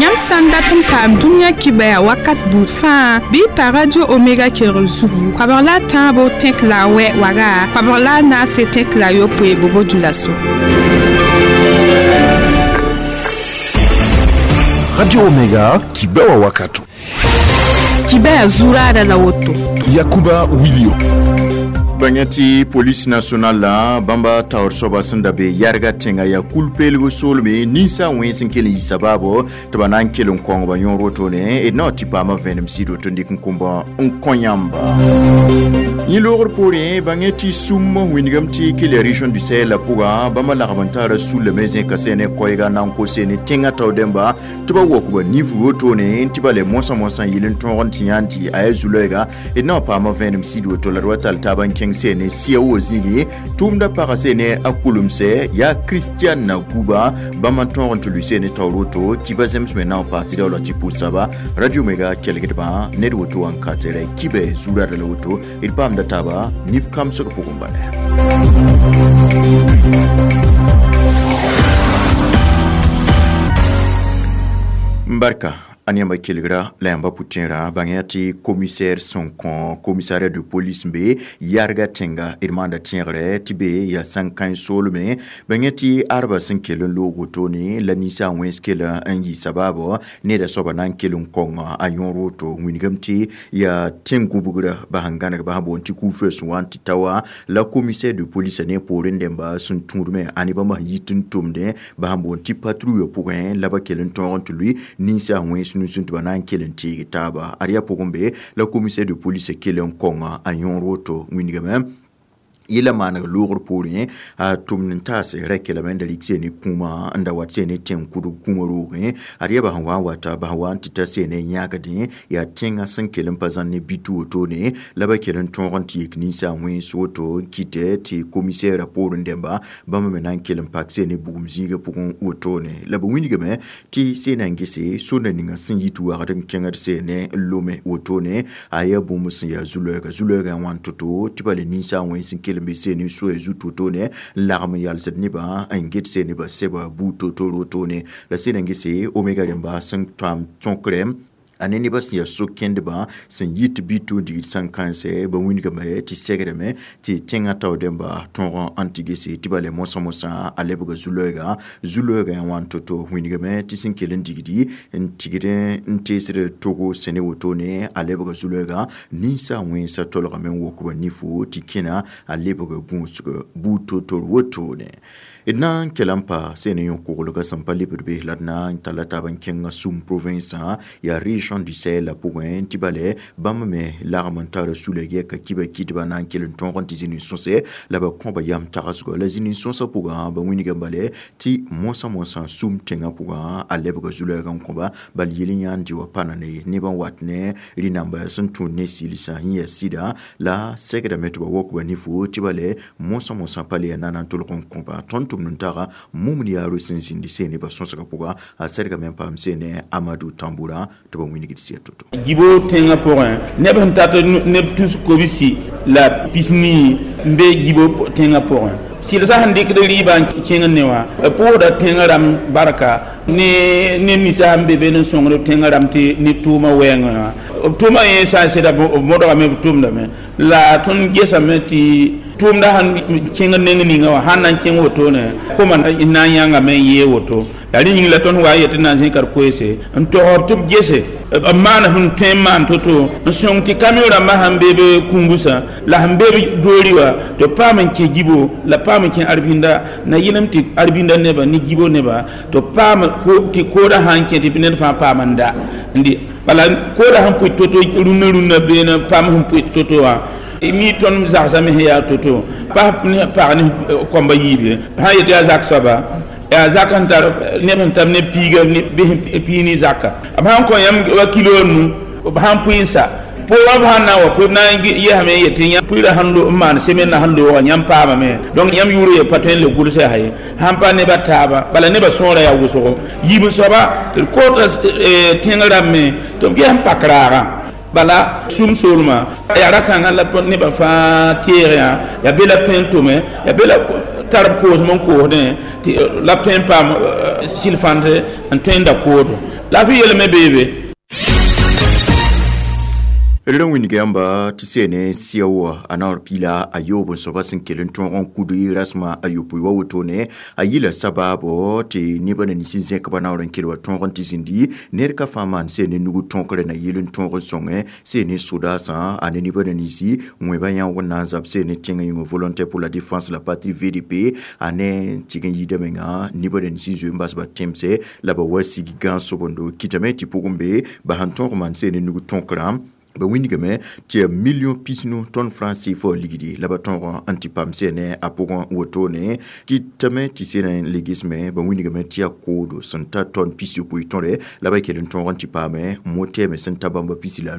Yãmb sã n dat n paam dũniyã kibɛa wakat buud fãa bɩ y pa radio omega kelgr zugu koabg la a tãabo tẽk la a wɛ waga koabg la a naase tẽk la a yopoe bobo dulaso. Radio Omega, Kibɛwa wakato. Kibɛa zuraada la woto. Yakuba Wilio. Bãngã tɩ police national la bãmba taoor soaba sẽn da be yɛrga tẽŋa yaa kul-peelg soolme ninsa wẽns n kell n yɩ sabaabo tɩ ba na n kell n kõngba yõor wotone d na wa tɩ paama vẽenem sɩd woto n dɩk n kõmba n kõ yãmba yẽ loogr poorẽ bãngẽ tɩ sũm wĩndgame tɩ kell ya région du sahel la pʋgã bãmba lagm n tara sullame zẽka sẽne koɛɛga na n kose ne tẽngã tao dẽmba tɩ ba wokba nif wotone tɩ ba le mosã mosã yɩl n tõog n tɩ yãan tɩ a yaa zu-loɛɛga d na wa paama vẽenem sɩd woto la d wa tall taab n kẽng sene sia wo zĩigi tʋʋmda paga sene a kulemsɛ yaa kristian na guba bãmb n tõog n tɩ lʋɩ sene taoor woto kiba zemsme na n paas tɩ daola tɩ pʋsaba radio mega kelgdbã ned woto wã n ka tɩ rɛ kibɛ zurada la woto d paamda taaba nif kamsg pʋgẽ bala. Barka a yãmba kelgra la yãmba pʋtẽera bãng tɩ commissaire sẽn kõ commissariat de police n be yarga tẽnga d maanda tẽegre tɩ be yaa sãn-kãens soolme bãng tɩ arba sẽn kell n loog wotone la ninsaag wẽns kell n yɩ sabaabo neda soaba na n kell n kõng a yõor woto wĩndgame tɩ yaa tẽn-gũbgrã ba sẽn gãneg ba sẽn boond tɩ ku-feu sẽn wa n tɩ ta wa la commissaire de police ne poorẽ dẽmba sẽn tũudme a ne bãmb sẽn yit n tʋmdẽ ba sẽn boond tɩ patrouille pʋgẽ la ba kell n tõog n tɩ lʋɩ ninsaag wẽns nusẽ tɩ ba na n kell n teeg taaba ad yaa pʋgẽ be la commissaire de police kell n kõng a yõor woto wĩndgame yẽla maaneg loogr poorẽ a tʋmd n taas ra kelame n da rɩk seene kũumã n da wat seene tẽng kʋdg kũumã roogẽ ad yaa bas n wa n wata bas n wa n tɩ ta seene yãagdẽ yaa tẽngã sẽn kell n pa zãn ne bit wotone la ba kell n tõog n tɩ yik ninsaag wẽns woto n kɩtɛ tɩ commissaire poorẽ dẽmba bãmb me na n kell n pak seene bugum zĩigã pʋgẽ wotone la b wĩndgame tɩ seena n gese sonda ninga sẽn yit wagd n kẽngd seene n lome wotone a yaa bũmb sẽn yaa zu-loɛɛga zu-loɛɛgã wãn to-to tɩ ba le ninsaag wẽns n kell n be seene soya zut wotone n lagm n yalsd nebã n get seeneba sɛba buud to-to wotone la sẽn n gese omega rẽmba sẽn paam tõkrɛ a ne nebã sẽn yaa so-kẽndbã sẽn yit bɩ tʋ n digd sãn-kãensɛ ba wĩndgame tɩ segrame tɩ tẽngã tao dẽmba tõog n tɩ gese tɩ ba le mosã mosã a lebga zu-loɛɛga zu-loɛɛgã yaa wãn to-to wĩndgame tɩ sẽn kell n digdi n tigd n teesd togo sẽne wotone a lebga zu-loɛɛga ninsaag wẽnsã tolgame n wokba nifo tɩ kẽna a lebg gũusg buud to-tor wotone d na n kell n pa sẽn ne yõ-koglgã sẽn pa lebd be la d na n talla taab n kẽnga sũm province yaa région du Sahel la pʋgẽ tɩ bale bãmb me lagm n tara sula yɛka kiba kɩdba na n kell n tõog n tɩ zĩni sõse la ba kõba yam tagsgɔ la zĩni sõsã pʋgã ba wĩnga bale tɩ mosã mosã sũm tẽngã pʋgã a lebga zu-loɛɛg n kõba bal yel n yãan dɩ wa pa na ne neb n wat ne rĩ-namba sẽn tũud ne sɩlsã yẽ yaa sɩda la segdame tɩ ba wokba nifo tɩ bale mosã mosã pa le yaa na n tolg n kõba tõnd tʋmd n taga mumd yaaro sẽn zĩndi seene ba sõsgã pʋga a sɛdgame n paam seene Amadou Tamboura tɩ ba wĩnigd sɩa to-to. Gibo tẽngã pʋgẽ neb sẽn tat neb tus kobsi la pisnii n be gibo tẽngã pʋgẽ sɩlsã sẽn dɩkd rɩɩbã n kẽng ne wã b pʋʋsda tẽngã rãmb barka ne ninsa sẽn be be n sõngd tẽngã rãmb tɩ ne tʋʋmã wɛɛngẽ wã b tʋʋmã yẽ sã n sɩda b modgame b tʋmdame la tõnd gesame tɩ tʋʋmda sẽn kẽng neng ninga wã sãn na n kẽng wotone koma n na n yãngame n yee woto la rẽ yĩng la tõnd wa n yetɩ na n zẽka d koeese n togsd tɩ b gese b maan sẽn tõe n maan to-to n sõng tɩ kamiõ rãmbã sẽn be b kũngusã la sẽn be b doori wã tɩ b paam n kẽ gibo la paam n kẽ arbinda na yɩlem tɩ arbinda nebã ne gibo nebã tɩ b paam tɩ koodã sã n kẽ tɩ ned fãa paam n da n dɩ bala koodã sẽn pʋɩ to-to rũnnã rũnnã beene paam sẽn pʋɩ to-to wã mi tõnd zagsame sẽn yaa to-to pas pag ne kõmba yiib ye sã n yetɩ yaa zak soaba yaa zak sẽn tar neb sẽn tab ne piiga bɩ piig ne zaka b sãn kõ yãmb wa kilo nu b sãn pʋɩ n sa pʋʋrã b sãn na n wa pʋɩ b na n yesame n yetɩ yã pʋɩɩrã sẽn n maan semen na sẽn looga yãmb paamame donc yãmb yʋʋr ye pa tõe n le gʋlsã yaa ye sãn pa nebã taaba bala nebã sõora yaa wʋsgo yiib n soaba tɩ d koota tẽng rãmb me tɩ b ges n pak raagã bala sũm soolmã yaa ra-kãngã la nebã fãa teeg yã yaa be la tõe n tʋme yaa be la Tar b koosem n koosdẽ tɩ la b tõe n paam sɩl-fãnt n tõe n da koodo la f yelme beebe. D wĩnga yãmba tɩ seene sɩa wa a naoor piila a yoob n soaba sẽn kell n tõog n kud rasmã a yopoe wa wotone a yɩla sabaabo tɩ nebã na nins n zẽk ba naoor n kell wa tõog n tɩ zĩndi ned ka fãa maan seene nug tõokre na yɩl n tõog n sõngẽ seene sodaasã a ne nebã na ninsi wẽba yãoog n na n zab seene tẽngã yĩnga Volontaire pour la défense la patrie VDP a ne tɩg n yɩɩda menga nebã na nins n zoe n bas ba tẽmse la ba wa sig gãan-sobendo kɩtame tɩ pʋgẽ be ba sẽn tõog maan seene nug tõokram ba wĩndgame tɩ yaa million pisnu tõnd franc CFA ligdi la ba tõog n tɩ paam seene a pʋgẽ wotone kɩtame tɩ seena n le gesme ba wĩndgame tɩ yaa koodo sẽn ta tɔn 60 tõre la ba kell n tõog n tɩ paame motɛɛme sẽn ta bãmba 15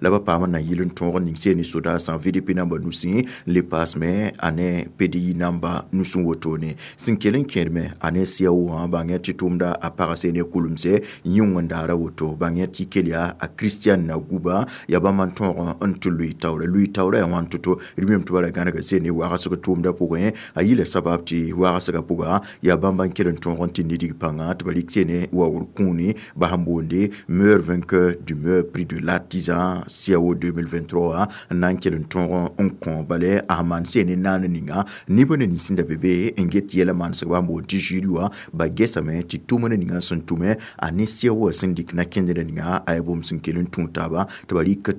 la ba paam n na yɩl n tõog n ning seene sodaasã VDP namba nusẽ n le paasme a ne PDI namba nusẽ wotone sẽn kell n kẽedme a ne sɩa wã bãng tɩ tʋʋmda a pag seene kulemse yĩng n daara woto bãng tɩ kell yaa a Christian Naguba yaa bãmb n tõog n tɩ lʋɩ taoora lʋɩ taoora yaa wãn to-to d mem tɩ ba ra gãnega seene wagsg tʋʋmdã pʋgẽ a yɩla sabab tɩ wagsgã pʋga yaa bãmba n kell n tõog n tɩ nidg pãnga tɩ ba rɩk seene waoogr kũuni ba sẽn boonde meilleur vainqueur du meilleur prix de l'artisan CAO 2023 n na n kell n tõog n kõ bale a sẽn maan seene naan ninga nebã na nins n da be be n get yɛla maansg ba sẽn boond tɩ jury wã ba gesame tɩ tʋmd ninga sẽn tʋme a ne CAO wã sẽn dɩk na-kẽndrã ninga a yaa bũmb sẽn kell n tũ taaba tɩ ba rɩk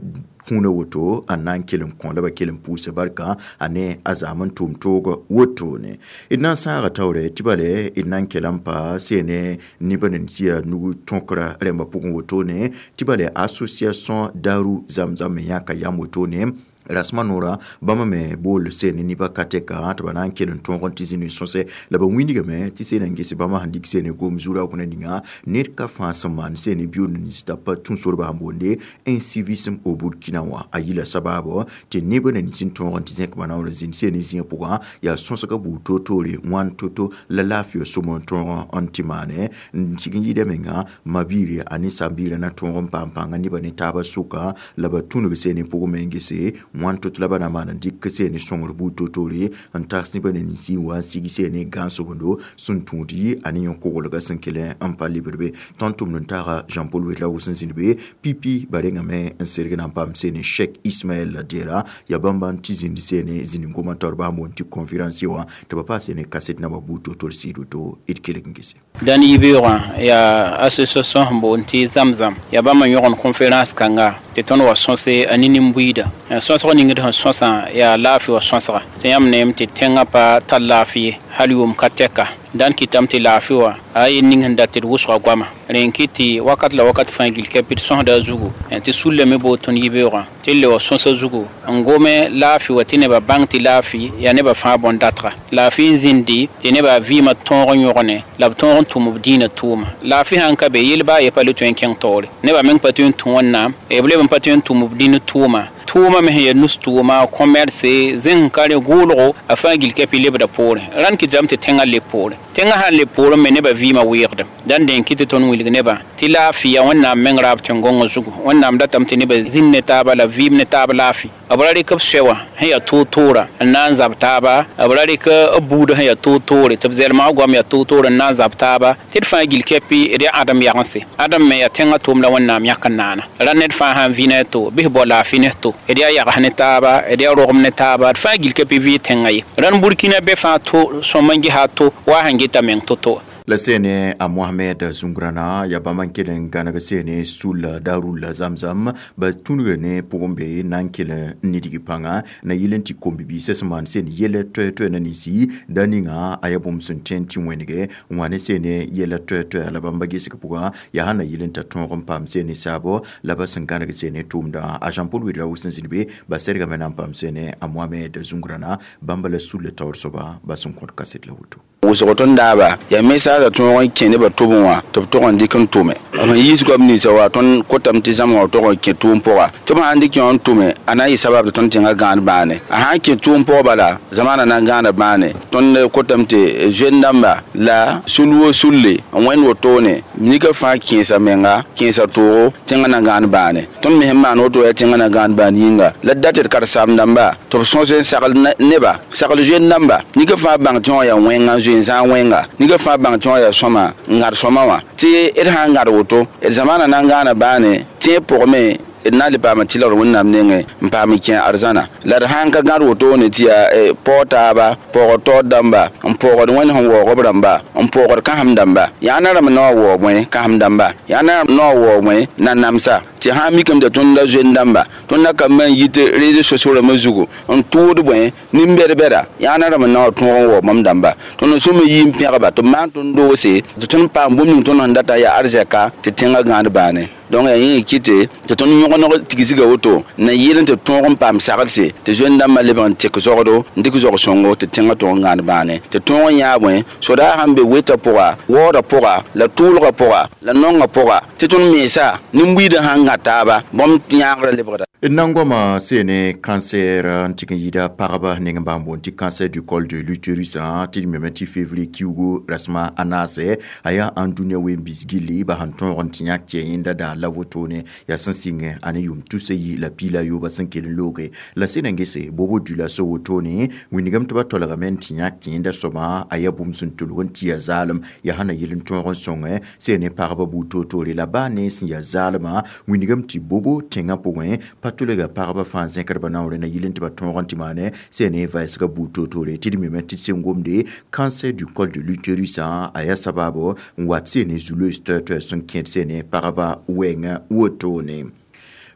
kũuna woto a na n kell n kõ la ba kell n pʋʋsa barka a ne a zaam n tʋʋm toog wotone d na n sãaga taoore tɩ bale d na n kell n pa seene nebã na tɩ yaa nug tõkra rẽmbã pʋgẽ wotone tɩ bale association Daru Zamzam me yãka yam wotone rasmã noorã bãmba me bool seene nebã ka tɛka tɩ ba na n kell n tõog n tɩ zĩnd n sõse la ba wĩndgame tɩ seena n ges bãmba sẽn dɩk seene gom zu-raoog ninga ned ka fãa sẽn maan seene biʋʋnd nins t'a pa tũ sorba sẽn boonde incivisme au Burkina wã a yɩla sabaabo tɩ nebã na nins n tõog n tɩ zẽk ba naoor n zĩnd seene zĩigã pʋgã yaa sõsga buud toor-toore wãn to-to la laafɩ sõm n tõog n tɩ maane n tɩg n yɩɩda menga ma-biire a ne saam-biirã na tõog n paam pãnga nebã ne taabã sʋka la ba tũnug seene pʋgẽ me n gese wãn to-to la ba na maan n dɩk seene sõngr buud toor-toore n tags nebã na ninsi n wa n sig seene gãan-sobendo sẽn tũud a ne yõ-koglgã sẽn kell n pa lebd be tõnd tʋmd n taaga Jean-Paul Ouedraogo sẽn zĩnd be pipi ba rengame n serg na n paam seene Cheikh Ismaël Dera yaa bãmba n tɩ zĩnd seene zĩnd-gomã taoor baa boond tɩ conférencier wã tɩ ba paas seene kaset namba buud toor-toor sɩɩd woto d kelg n gese. Dãn yibeoogã yaa association sẽn boond tɩ Zamzam yaa bãmb n yõgen conférence kãnga tɩ tõnd wa sõse a ne nin-buiida sõsg ning d sẽn sõsã yaa laafɩ wa sõsga tɩ yãmb neem tɩ tẽngã pa tar laafɩ ye hal yʋʋm ka tɛka dãn kɩtame tɩ laafɩ wã a yen ning sẽn dat tɩ d wʋsga goama rẽ n kɩt tɩ wakat la wakat fãa gil kɛpɩ d sõsda a zugu tɩ sullame bood tõnd yibeoogã tɩ d le wa sõsa zugu n gome laafɩ wa tɩ nebã bãng tɩ laafɩ yaa nebã fãa bõn-datga laafɩ n zĩndi tɩ nebã vɩɩmã tõog n yõgene la b tõog n tʋm b dĩinã tʋʋma laafɩ sãn ka be yel baa ye pa le tõe n kẽng taoore nebã meng pa tõe n tũ Wẽnnaam b leb n pa tõe n tʋm b dĩn tʋʋma tʋʋma me sẽn yaa nus tʋʋma commerce zẽng ka rẽ gʋʋlgo a fãa gil kɛpɩ lebda poorẽ rãnd kɩtame tɩ tẽngã leb poore tẽngã sãn leb poorẽ me nebã vɩɩmã weegdem dãn dẽn kɩ tɩ tõnd wilg nebã tɩ laafɩ yaa Wẽnnaam meng raab tẽn-gõngã zugu Wẽnnaam datame tɩ nebã zĩnd ne taaba la vɩɩm ne taab laafɩ b ra rɩk b soɛ wã sẽn yaa toor-toora n na n zab taaba b ra rɩk b buudã sẽn yaa toor-toore tɩ b zɛlmã goam yaa toor-toore n na n zab taaba tɩ d fãa gil kɛpɩ d yaa ãdem yagense ãdem me yaa tẽngã tʋʋmda Wẽnnaam yãk n naana ra ned fãa sãn vɩ ne a to bɩs bao laafɩ ne to d yaa yags ne taaba d yaa rogem ne taaba d fãa gil kɛpɩ vɩ tẽngã ye rãnd Burkina be fãa to sõm n gesa to wa sẽn geta meng to-to. La seene a Mohamed Zungrana yaa bãmb n kell n gãneg seene sula Darul Zamzam ba tũnuga ne pʋgẽ be na n kell n nidg pãnga na yɩl n tɩ kom-bibiisã sẽn maan seen yɛla toɛ-toɛ na ninsi da ninga a yaa bũmb sẽn tõe n tɩ wẽnege n wa ne seene yɛla toɛ-toɛ la bãmba gesg pʋgã yaa sã na yɩl n t'a tõog n paam seene saabo la ba sẽn gãneg seene tʋʋmdã a Jean-Paul Ouedraogo sẽn zĩnd be ba sergame na n paam seene a Mohamed Zungrana bãmba la sulla taoor soaba ba sẽn kõt kaset la woto. Wʋsg tõnd daaba yaa mesaasã tõog n kẽ nebã tʋbẽ wã tɩ b tog n dɩk n tʋme b sẽn yiis goam ninsã wa tõnd kotame tɩ zãma wã tog n kẽ tʋʋm pʋga tɩ b sãn dɩk yõ n tʋme a na n yɩ sabab tɩ tõnd tẽngã gãan bãane a sãn kẽ tʋʋm pʋg bala zamaana na n gãana bãane tõnd kotame tɩ zoen dãmba la sul wo sulle n wẽnd wotone nika fãa kẽesa menga kẽesa toogo tẽngã na gãan bãane tõnd me sẽn maan woto yaa tẽngã na gãan bãan yĩnga la dat tɩ d karen-saam dãmba tɩ b sõs n sagl neba sagl zoen dãmba nika fãa bãng tɩ wã yaa wẽnga n zoe n zãag wẽnga nika fãa bãng tɩ wã yaa sõma n gãd sõma wã tɩ d sã n gãd woto d zamaana na n gãana bãane tẽeb pʋgme d na n le paam tɩlgr wẽnnaam nengẽ n paam n kẽ arzãna la d sãn ka gãd wotone tɩ yaa paoog taaba paoogd taood dãmba n paoogd wẽnd sẽn waoog b rãmba n paoogd kãsem dãmba yaa na rãmb na wa waoog bõe kãsem dãmba yaa na rãmb na wa waoog bõe na-namsa tɩ sã n mikame tɩ tõnd la zoen dãmba tõnd na ka man yit réseaux sociaux rãmbã zugu n tʋʋd bõe nin-bɛd-bɛda yaa na rãmb na wa tõog n waoog bãmb dãmba tõnd n sõm n yi n pẽgba tɩ b maan tõnd doose tɩ tõnd paam bũmb ning tõnd sẽn data yaa arzɛka tɩ tẽngã gãad bãane donc yaa yẽ kɩte tɩ tõnd yõgeneg tigsga woto na yɩl n tɩ tõog n paam saglse tɩ zoen dãmbã lebg n tek zogdo n dɩk zog sõngo tɩ tẽngã tõog n gãad bãane tɩ tõog n yãa bõe sodaag sãn be wetã pʋga waoodã pʋga la tʋʋlgã pʋga la nongã pʋga tɩ tõnd mensa nin-buiidã sãn gã taaba bãmb yãagrã lebgda Nangoma sene cancer n tɩg n yɩɩda pagba neng n bãmb boond tɩ cancer du col de l'utérus tɩ d meme tɩ février kiugu rasma a naase a yaa ãn dũniyã ween-biis gilli ba sẽn tõog n tɩ yãk tɩ yẽnda daa la wotone yaa sẽn sɩngẽ a ne yʋʋm tusa yi la piila yooba sẽn kell n looge la sẽn na n gese bobo dula so wotone wĩndgame tɩ ba tolgame n tɩ yãk tɩ yẽnda soabã a yaa bũmb sẽn tʋlg n tɩ yaa zaalem yaa sãn na yɩl n tõog n sõngẽ sẽn ne pagba buud toor-toore la baa ne sẽn yaa zaalmã wĩndgame tɩ bobo tẽngã pʋgẽ pa tʋlga pagba fãa zẽkdba naoore na yɩl n tɩ ba tõog n tɩ maane sẽn ne vɛɛsga buud toor-toore tɩ d meme tɩ d sẽn gomde cancer du col de l'utérus a yaa sababo n wat sẽn ne zuloos toɛ-toɛ sẽn kẽed sẽn ne pagba wɛɛngã wotone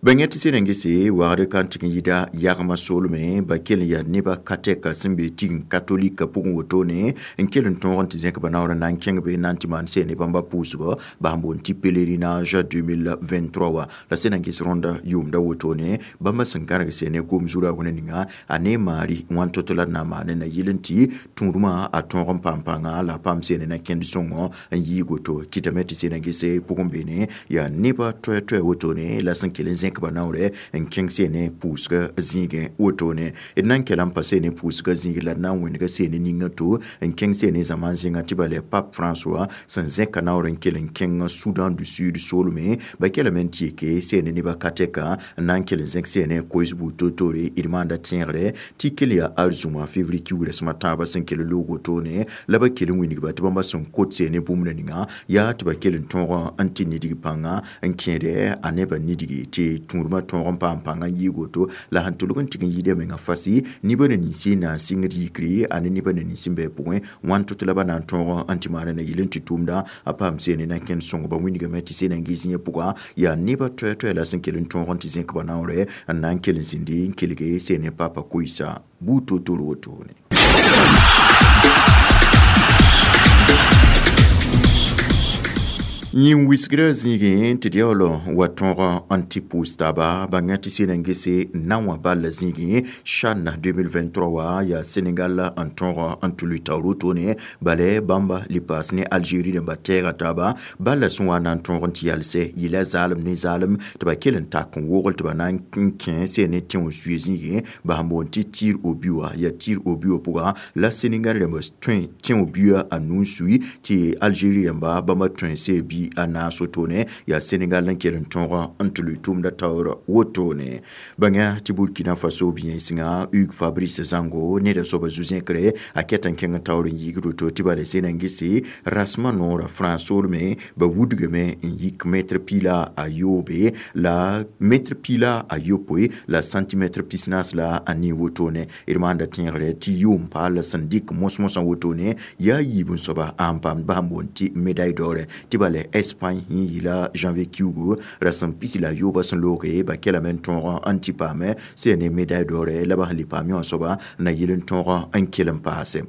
bãng tɩ sẽn na n gese wagd ka n tɩg n yɩda yagmã soolme ba kell n yaa nebã ka tɛka sẽn be tigẽ katolika pʋgẽ wotone n kell n tõog n tɩ zẽk ba naoor n na n kẽng be na n tɩ maan sẽn ne bãmba pʋʋsgɔ ba sẽn boond tɩ pèlerinage 2023 wa la sẽn na n ges rõnda yʋʋmda wotone bãmba sẽn gãrg sẽn ne gom zu-raoog ninga a ne maari wãn to-to la d na n maane na yɩl n tɩ tũudmã a tõog n paam pãnga la a paam sẽn ne na kẽnd sõngõ n yiig woto kɩtame tɩ sẽn na n gese pʋgẽ beene yaa nebã toɛ-toɛ wotone la sẽn kell n zẽk ba naoore n kẽng sẽn ne pʋʋsga zĩigẽ wotone d na n kɛla n pa sẽn ne pʋʋsga zĩig la d na n wẽnega sẽn ne ningã to n kẽng sẽn ne zãma zẽnga tɩ ba le pape François sẽn zẽka naoor n kell n kẽng Soudan du Sud soolme ba kelame n tɩ yeke sẽn ne nebã ka tɛka n na n kell n zẽk sẽn ne koes buud toor-toore d maanda tẽegre tɩ kell yaa arzũma février kiuug rasem a tãabã sẽn kell n loog wotone la ba kell n wĩnigba tɩ bãmba sẽn kot sẽn ne bũmb ninga yaa tɩ ba kell n tõog n tɩ nidg pãnga n kẽede a nebã nidgi tɩ tũudmã tõog n paam pãnga n yiig woto la sẽn tʋlg n tɩg n yɩɩda menga fasi nibã na ninsi na n sɩngd yikre a ne nibã na nins n bɩ pʋgẽ wãn tʋ tɩ la ba na n tõog n tɩ maana na yɩl n tɩ tʋʋmda a paam sẽn ne na kẽnd sõng ba wĩndgame tɩ sẽn na n ges yẽ pʋga yaa nebã toɛ-toɛ la sẽn kell n tõog n tɩ zẽk ba naoorɛ n na n kell n zĩndi n kelge sẽn ne papa koɩsa buud toor-toor wotone. Yĩn wisgrã zĩigẽ tɩ d yaool wa tõog n tɩ pʋʋs taaba bãnga tɩ sẽn na n gese na wã ball zĩigẽ CHAN 2023 wa yaa Senegal n tõog n tʋl taoor wotone bala bãmba le paas ne Algérie rãmba tɛɛga taaba balla sẽn wa na n tõog n tɩ yalsɛ yɩla zaalem ne zaalem tɩ ba kell n tak n wogl tɩ ba na n kẽ sẽn ne tẽ wã suye zĩigẽ ba sẽn boond tɩ tir au but wã yaa tir au but wã pʋga la Senegal rãmba tõe tẽ wã buã a nu n sui tɩ Algérie rãmba bãmba tõe see bi a naas wotone yaa Senegal n kell n tõog n tɩ lʋɩ tʋʋmda taoor wotone bãnga tɩ Burkina Faso biyẽnsengã Hugues Fabrice Zango neda soaba zu-zẽkre a ket n kẽng taoor n yiigd woto tɩ bala sẽn na n gese rasmã noorã France soolme ba wudgame n yik mɛtr piila a yoobe la mɛtr piila a yopoe la centimètre pisnaas la a nii wotone d maanda tẽegre tɩ yʋʋm paal sẽn dɩk mos-mosã wotone yaa yiib n soaba n paamd ba sẽn boond tɩ médaille d'or tɩ bala Espagne yẽ yɩla janvier kiugu rasem pisi la yooba sẽn looge ba kelame n tõog n tɩ paame sẽn ne médaille d'or la ba sẽn le paam yõ soaba na yɩl n tõog n kell n paase.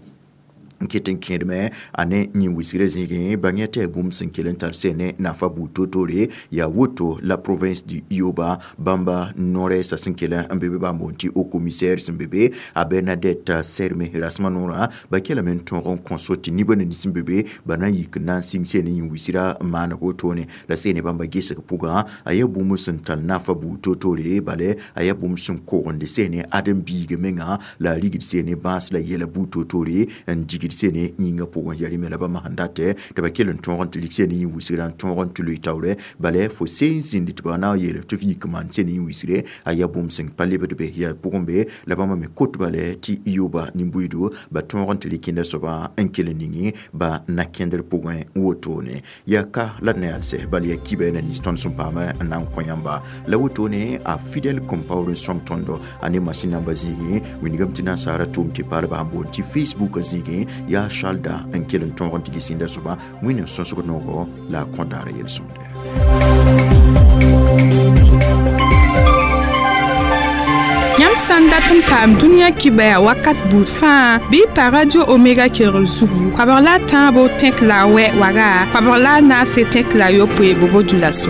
N ket n kẽedme a ne yĩn-wɩsgrã zĩigẽ bãng tɩ yaa bũmb sẽn kell n tar sɛ ne nafa buud toor-toore. Yaa woto la province du Ioba, bãmba no-rɛɛsã sẽn kell n be be bãmb boond tɩ haut commissaire sẽn be be, a Bernadette Serme rasmã noorã, ba kelame n tõog n kõ so tɩ nibã nins sẽn be be ba na n yik n na n sɩng sɛ ne yĩn-wɩsgrã maaneg wotone la sɛ ne bãmba gesg pʋgã. A yaa bũmb sẽn tar nafa buud toor-toore, bala a yaa bũmb sẽn kogende sɛ ne ãdem-biigã menga la a rigd sɛ ne bãas la yɛla buud toor-toore n digd sɛ ne yĩngã pʋgẽ. Yaa rẽ me la bãmb sẽn datɛ tɩ ba kell n tõog n tɩ lik sɛ ne yĩn-wɩsgrã n tõog n tɩ loe taoorɛ. Bala fo seen zĩnd tɩ ba na n yeel tɩ f yik n maan sɛ ne yĩn-wɩsgre, a yaa bũmb sẽn pa lebd be yaa pʋgẽ be la bãmba me kot bala tɩ yoba nin-buiido ba tõog n tɩ rɩk kẽnda soabã n kell n ningi ba na-kẽndr pʋgẽ wotone. Yaa ka la d na yalsɛ, bala yaa kiba na nins tõnd sẽn paama n na n kõ yãmba la wotone. A Fidèle Compaoré n sõng tõndo a ne masin namba zĩigẽ wingame tɩ nasaara tʋʋm tɩ paalba sẽn boond tɩ Facebook zĩigẽ. Yaa Charles n kell n tõog n tɩ ges sĩnda soaba Wẽnnaam sõsg noogo la a kõ daara yel-sõmde. Yãmb sã n dat n paam dũniyã kibaya wakat buud fãa, bɩ y pa Radio Omega kelgr zugu 13 tẽk la a wɛ waga 14 tẽk la yopoe bobo dioulasso.